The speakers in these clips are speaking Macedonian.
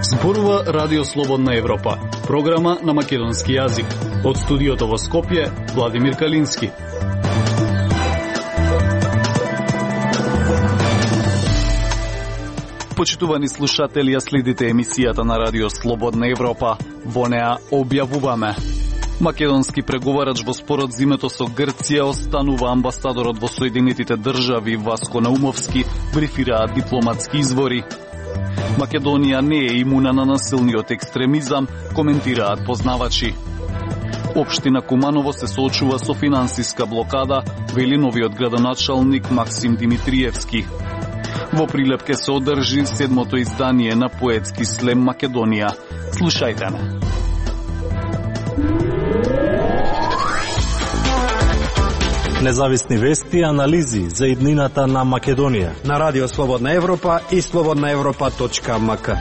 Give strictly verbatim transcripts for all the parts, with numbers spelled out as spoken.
Зборува Радио Слободна Европа, програма на македонски јазик. Од студиото во Скопје, Владимир Калински. Почитувани слушатели, ја следите емисијата на Радио Слободна Европа. Во неа објавуваме: македонски преговарач во спорот за името со Грција останува. Амбасадорот во Соединетите држави Васко Наумовски брифираат дипломатски извори. Македонија не е имуна на насилниот екстремизам, коментираат познавачи. Општина Куманово се соочува со финансиска блокада, вели новиот градоначалник Максим Димитриевски. Во Прилепке се одржи седмото издание на поетски слем Македонија. Слушајте ме. Независни вести и анализи за иднината на Македонија на Радио Слободна Европа и слободна европа точка ем ка.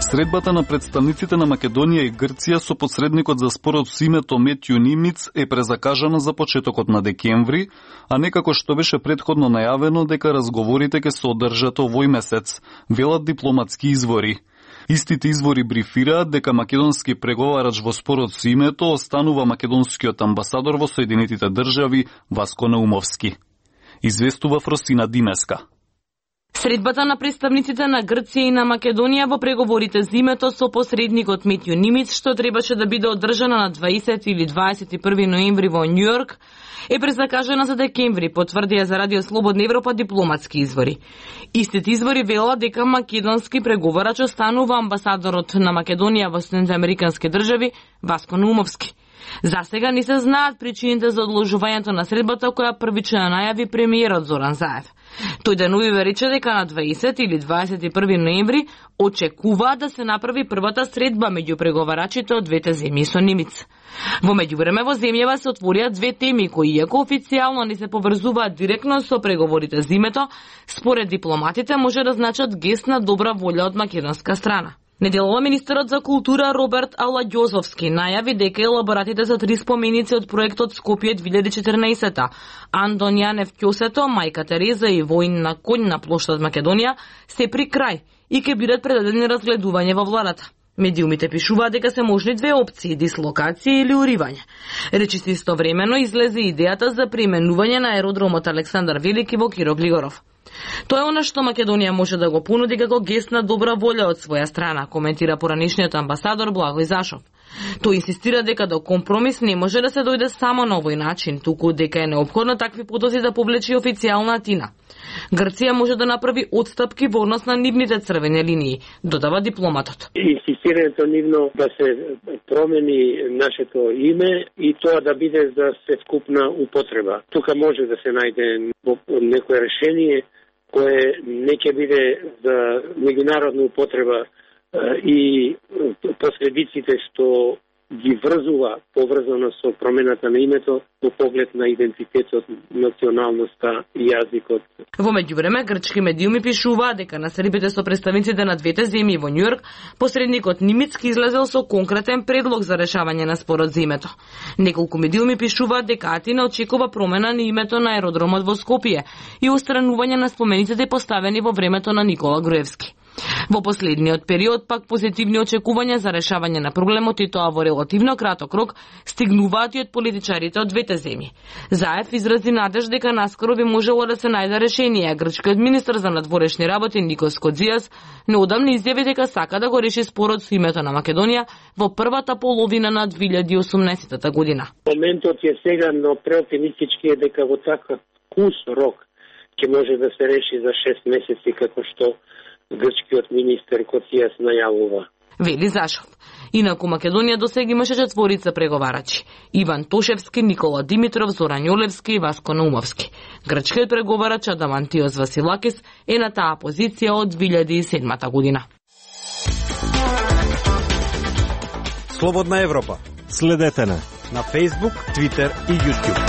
Средбата на представниците на Македонија и Грција со посредникот за спорот со името Метју Нимиц е презакажана за почетокот на декември, а не како што беше претходно најавено дека разговорите ќе се одржат овој месец, велат дипломатски извори. Истите извори брифираат дека македонски преговарач во спорот со името останува македонскиот амбасадор во Соединетите држави Васко Наумовски. Известува Фросина Димеска. Средбата на представниците на Грција и на Македонија во преговорите за името со посредникот Метју Нимиц, што требаше да биде одржана на дваесети или дваесет и први ноември во Њујорк, е презакажана за декември, потврдија за Радио Слободна Европа дипломатски извори. Истите извори велат дека македонски преговарач останува амбасадорот на Македонија во Соединетите американски држави Васко Наумовски. За сега не се знаат причините за одложувањето на средбата, која првично најави премиерот Зоран Заев. Тој денувиве рече дека на дваесети или дваесет и први ноември очекува да се направи првата средба меѓу преговарачите од двете земји со Нимиц. Во меѓувреме во земјава се отворија две теми кои, иако официјално не се поврзуваат директно со преговорите за името, според дипломатите може да значат гест на добра волја од македонска страна. Неделова министерот за култура Роберт Аладјозовски најави дека елаборатите за три споменици од проектот Скопје две илјади и четрнаесета, Андон Јанев Ќосето, Мајка Тереза и Воин на конј на плоштад Македонија се при крај и ќе бидат предадени разгледување во владата. Медиумите пишуваат дека се можни две опции: дислокација или уривање. Речиси истовремено излезе идејата за преименување на аеродромот Александар Велики во Киро Глигоров. Тоа е она што Македонија може да го понуди како гест на добра волја од своја страна, коментира поранишниот амбасадор Благој Зашов. Тој инсистира дека до компромис не може да се дојде само на овој начин, туку дека е неопходно такви потоци да повлече официјална Атина. Грција може да направи отстапки во однос на нивните црвени линии, додава дипломатот. Инсистирањето нивно да се промени нашето име и тоа да биде за светкупна употреба. Тука може да се најде некое решение кое не ќе биде за меѓународна употреба и последиците што ги врзува поврзано со промената на името во поглед на идентитетот, националноста и јазикот. Во меѓувреме, грчки медиуми пишуваат дека на средбите со представниците на двете земји во Њујорк, посредникот Нимицки излезел со конкретен предлог за решавање на спорот за името. Неколку медиуми пишуваат дека Атина очекува промена на името на аеродромот во Скопје и устранување на спомениците поставени во времето на Никола Груевски. Во последниот период пак позитивни очекувања за решавање на проблемот, и тоа во релативно краток рок, стигнуваат и од политичарите од двете земји. Заев изрази надеж дека наскоро би можело да се најде решение, а грчкиот министер за надворешни работи Никос Кодзијас неодамна изјави дека сака да го реши спорот со името на Македонија во првата половина на две илјади и осумнаесета година. Моментот е сега, но преоптимистички е дека во таков кус рок ќе може да се реши за шест месеци, како што грчкиот министер Коцијас најавува. Вели Зашов. Инаку Македонија досега имаше четворица преговарачи: Иван Тошевски, Никола Димитров, Зоран Јолевски и Васко Наумовски. Грчкиот преговарач Адамантиос Василакис е на таа позиција од две илјади и седмата година. Слободна Европа. Следете на на Facebook, Twitter и YouTube.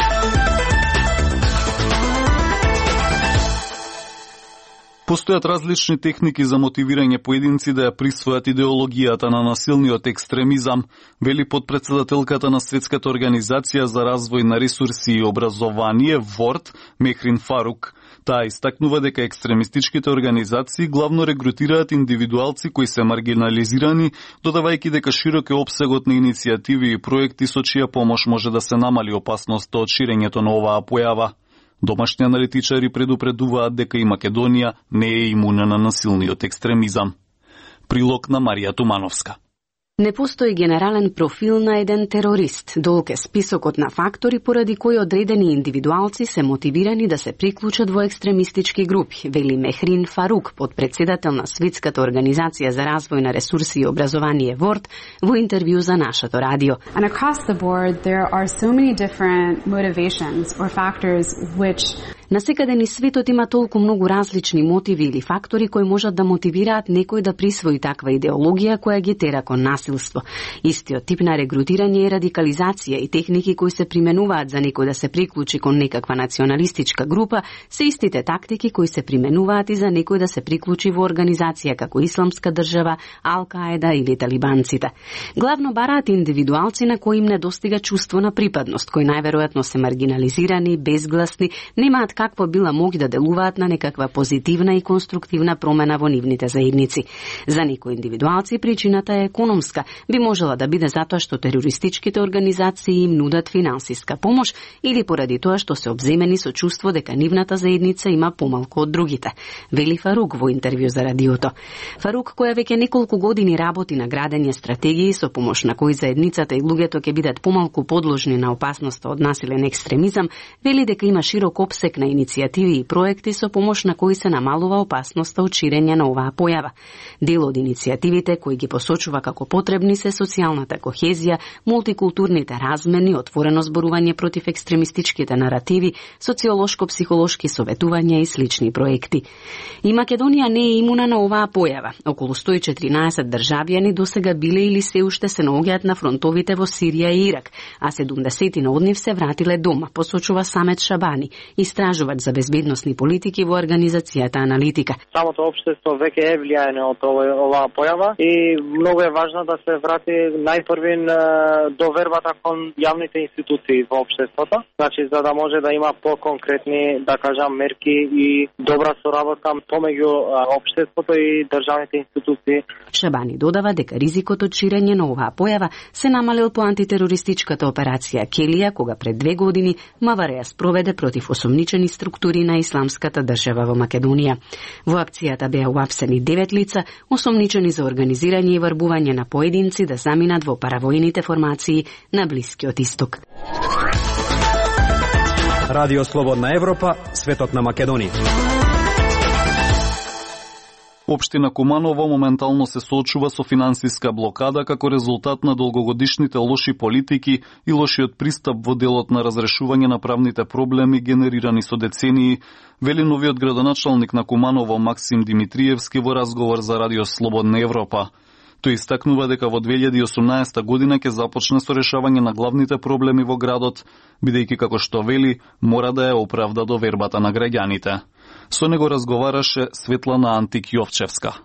Постојат различни техники за мотивирање поединци да ја присвојат идеологијата на насилниот екстремизам, вели подпредседателката на Светската организација за развој на ресурси и образование ворд Мехрин Фарук. Таа истакнува дека екстремистичките организации главно регрутираат индивидуалци кои се маргинализирани, додавајќи дека широк е опсегот на иницијативи и проекти со чија помош може да се намали опасноста од ширењето на оваа појава. Домашни аналитичари предупредуваат дека и Македонија не е имуна на насилниот екстремизам. Прилог на Марија Тумановска. Не постои генерален профил на еден терорист. Долг е списокот на фактори поради кои одредени индивидуалци се мотивирани да се приклучат во екстремистички групи, вели Мехрин Фарук, подпредседател на Светската организација за развој на ресурси и образование ворд, во интервју за нашето радио. And across the board there are so many different motivations or factors which Насекаде ни светот има толку многу различни мотиви или фактори кои можат да мотивираат некој да присвои таква идеологија која ги тера кон насилство. Истиот тип на регрутирање и радикализација и техники кои се применуваат за некој да се приклучи кон некаква националистичка група се истите тактики кои се применуваат и за некој да се приклучи во организација како Исламска држава, Ал-Каеда или талибанците. Главно бараат индивидуалци на кои им недостига чувство на припадност, кои најверојатно се маргинализирани, безгласни, немаат какво била моги да делуваат на некаква позитивна и конструктивна промена во нивните заедници. За некои индивидуалци причината е економска, би можела да биде затоа што терористичките организации им нудат финансиска помош или поради тоа што се обземени со чувство дека нивната заедница има помалку од другите, вели Фарук во интервју за радиото. Фарук, која веќе неколку години работи на градење стратегии со помош на кои заедницата и луѓето ќе бидат помалку подложни на опасноста од насилен екстремизам, вели дека има широк опсек на иницијативи и проекти со помош на кои се намалува опасноста од ширење на оваа појава. Дел од иницијативите кои ги посочува како потребни се социјалната кохезија, мултикултурните размени, отворено зборување против екстремистичките наративи, социолошко-психолошки советувања и слични проекти. И Македонија не е имуна на оваа појава. Околу сто и четиринаесет државјани досега биле или се уште се наоѓаат на фронтовите во Сирија и Ирак, а седумдесетина од нив се вратиле дома, посочува Самет Шабани, истражувач за безбедносни политики во организацијата Аналитика. Самото општество веќе е влијаено од оваа појава и многу е важно да се врати најпрвин довербата кон јавните институции во општеството, значи за да може да има поконкретни, да кажам, мерки и добра соработка помеѓу општеството и државните институции. Шабани додава дека ризикот од ширење на оваа појава се намалил по антитерористичката операција Келија, кога пред две години МВР ја спроведе против осомничени структури на Исламската држава во Македонија. Во акцијата беа уапсени девет лица, осомничени за организирање и врбување на поединци да заминат во паравојните формации на Блискиот Исток. Радио Слободна Европа, светот на Македонија. Општина Куманово моментално се соочува со финансиска блокада како резултат на долгогодишните лоши политики и лошиот пристап во делот на разрешување на правните проблеми генерирани со децении, вели новиот градоначалник на Куманово Максим Димитриевски во разговор за Радио Слободна Европа. Тој истакнува дека во две илјади и осумнаесета година ќе започне со решавање на главните проблеми во градот, бидејќи како што вели, мора да ја оправда довербата на граѓаните. Со него разговараше Светлана Антик Јовчевска.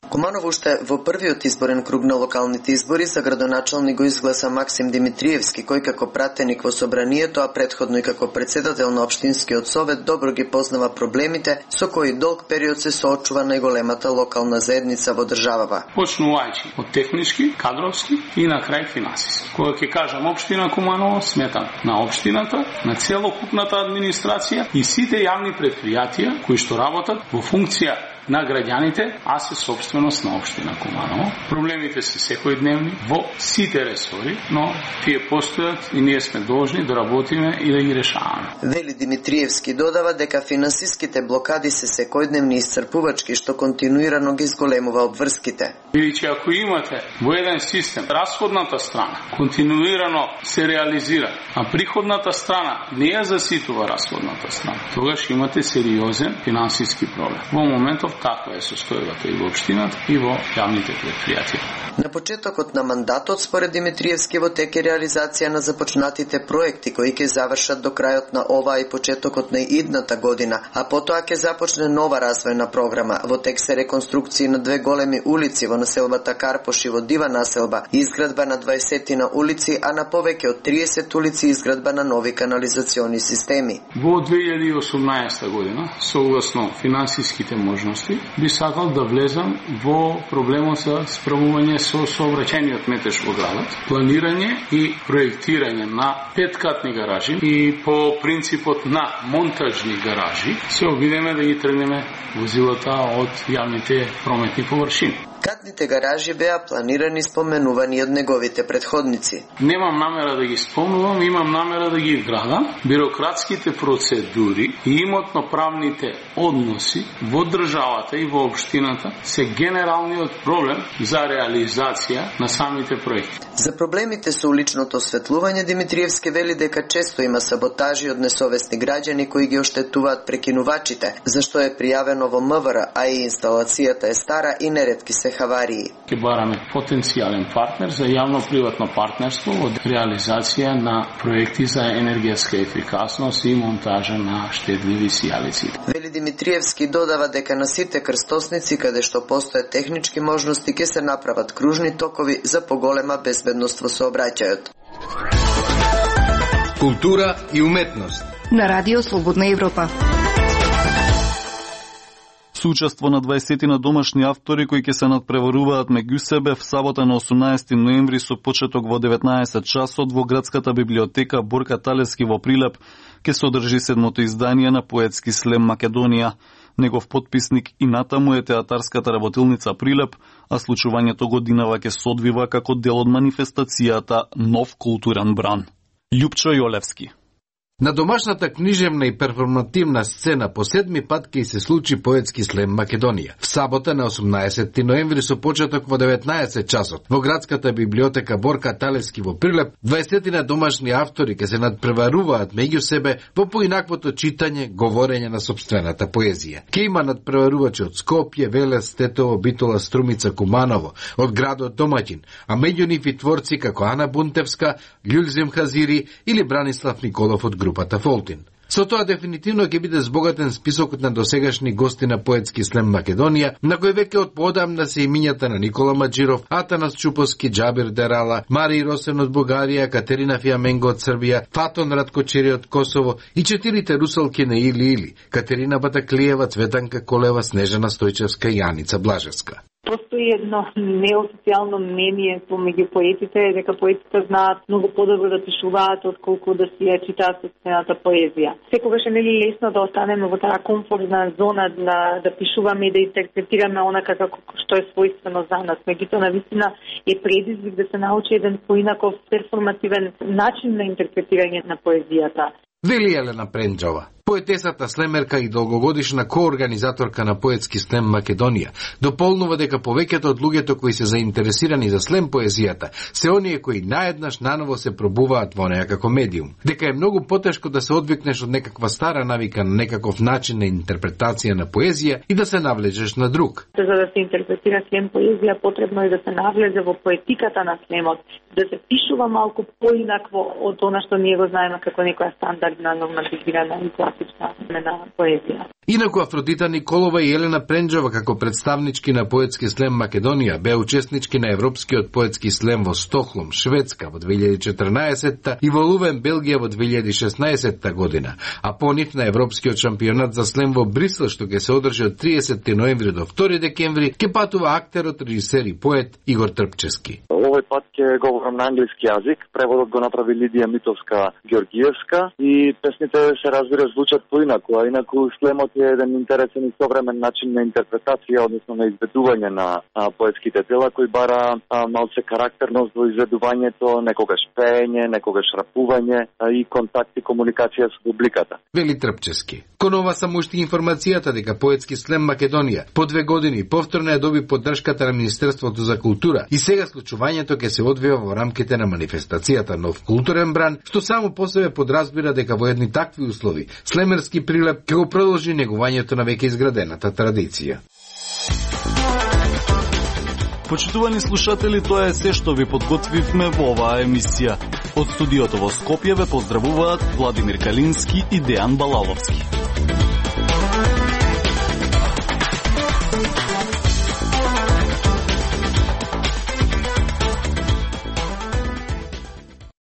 Куманово уште во првиот изборен круг на локалните избори за градоначалник го изгласа Максим Димитриевски, кој како пратеник во собранието, а претходно и како председател на општинскиот совет, добро ги познава проблемите со кои долг период се соочува најголемата локална заедница во државава. Почнувајќи од технички, кадровски и на крај финансиски. Кога ќе кажам општина Куманово, сметам на општината, на целокупната администрација и сите јавни претпријатија кои што работат во функција на граѓаните, а се собственост на општина Куманово. Проблемите се секојдневни во сите ресори, но тие постојат и ние сме должни да работиме и да ги решаваме. Вели Димитриевски додава дека финансиските блокади се секојдневни и исцрпувачки, што континуирано ги зголемува обврските. Или че ако имате во еден систем расходната страна континуирано се реализира, а приходната страна не ја заситува расходната страна, тогаш имате сериозен финансиски проблем. Во моментов таква е состојбата и во општината и во јавните предпријатија. На почетокот на мандатот, според Димитриевски, во тек е реализација на започнатите проекти кои ќе завршат до крајот на оваа и почетокот на идната година, а потоа ќе започне нова развојна програма. Во тек се реконструкции на две големи улици во населбата Карпош и во Дива населба, изградба на дваесет улици, а на повеќе од триесет улици изградба на нови канализациони системи. Во две илјади и осумнаесета година, согласно финансиските можности, би сакал да влезам во проблемот со справување со сообраќајниот метеж во градот, планирање и проектирање на петкатни гаражи и по принципот на монтажни гаражи се обидеме да ги тргнеме возилата од јавните прометни површини. Катните гаражи беа планирани споменувани од неговите предходници. Немам намера да ги спомнувам, имам намера да ги вградам. Бирократските процедури и имотно-правните односи во државата и во општината се генералниот проблем за реализација на самите проекти. За проблемите со уличното осветлување, Димитриевски вели дека често има саботажи од несовесни граѓани кои ги оштетуваат прекинувачите, зашто е пријавено во М В Р, а и инсталацијата е стара и неретки се хаварии. Ке бараме потенцијален партнер за јавно-приватно партнерство од реализација на проекти за енергијска ефикасност и монтажа на штедливи сијалици. Вели Димитриевски додава дека на сите крстосници каде што постојат технички можности ќе се направат кружни токови за поголема безбедност во сообраќајот. Култура и уметност на Радио Слободна Европа. Соучество на дваесет на домашни автори кои ќе се надпреваруваат меѓу себе в сабота на осумнаесети ноември со почеток во деветнаесет часот во градската библиотека Борка Талевски во Прилеп ќе се одржи седмото издание на поетски слем Македонија. Негов потписник и натаму е театарската работилница Прилеп, а случувањето годинава ќе се одвива како дел од манифестацијата Нов културен бран. Љупчо Јолевски. На домашната книжевна и перформативна сцена по седми пат ќе се случи поетски слем Македонија. В сабота на осумнаесети ноември со почеток во деветнаесет часот во градската библиотека Борка Талевски во Прилеп, дваесет на домашни автори ќе се надпреваруваат меѓу себе во поинаквото читање, говорење на сопствената поезија. Ке има надпреварувачи од Скопје, Велес, Тетово, Битола, Струмица, Куманово, од градот домаќин, а меѓу нив и творци како Ана Бунтевска, Љулзим Хазири или Бранислав Николов од групата Фолтин. Со тоа дефинитивно ќе биде збогатен списокот на досегашни гости на поетски слем Македонија, на кој веќе од поодамна се имињата на Никола Маџиров, Атанас Чуповски, Џабир Дерала, Мари Росен од Бугарија, Катерина Фиаменго од Србија, Фатон Раткочери од Косово и четирите русалки на Или Или, Катерина Батаклиева, Цветанка Колева, Снежана Стојчевска и Јаница Блажевска. Постои едно неофицијално мнение помеѓу поетите дека поетите знаат многу подобро да пишуваат отколку да си ја читаат собствената поезија. Секогаш е нели лесно да останеме во таа комфортна зона да да пишуваме и да интерпретираме онака како што е својствено за нас. Меѓутоа навистина е предизвик да се научи еден поинаков перформативен начин на интерпретирање на поезијата. Вели Елена Пренџова, поетесата слемерка и долгогодишна коорганизаторка на поетски слем Македонија, дополнува дека повеќето од луѓето кои се заинтересирани за слем поезијата се оние кои наеднаш наново се пробуваат во неа како медиум. Дека е многу потешко да се одвикнеш од некаква стара навика на некаков начин на интерпретација на поезија и да се навлечеш на друг. За да се интерпретира слем поезија, потребно е да се навлезе во поетиката на слемот, да се пишува малку поинакво од она што ние го знаеме како некоја стандардна нормативирана и класична на поезија. Инаку Афродита Николова и Елена Пренџова како представнички на поетски слем Македонија беа учеснички на Европскиот поетски слем во Стокхолм, Шведска во две илјади и четрнаесетта и во Лувен, Белгија во две илјади и шеснаесетта година, а по нив на Европскиот шампионат за слем во Брисел што ќе се одржи од триесетти ноември до втори декември, ќе патува актерот, режисер и поет Игор Трпчески. Овој пат ќе говорам на англиски јазик, преводот го направи Лидија Митовска Георгиевска и песните се разбира звучат поинаку, а инаку слемот е еден интересен и современ начин на интерпретација, односно на изведување на а, поетските дела, кој бара а, малце карактерност во изведувањето, некогаш пеење, некогаш рапување а, и контакт и комуникација со публиката. Вели Трпчески. Кон ова само уште информацијата дека поетски слем Македонија по две години повторно ја доби поддршката на Министерството за култура и сега случувањето ќе се одвива во рамките на манифестацијата Нов културен бран, што само по себе подразбира дека во едни такви услови слемерски Прилеп ќе го продолжи негувањето на веќе изградената традиција. Почитувани слушатели, тоа е се што ви подготвивме во оваа емисија. Од студиото во Скопје ве поздравуваат Владимир Калински и Дејан Балаловски.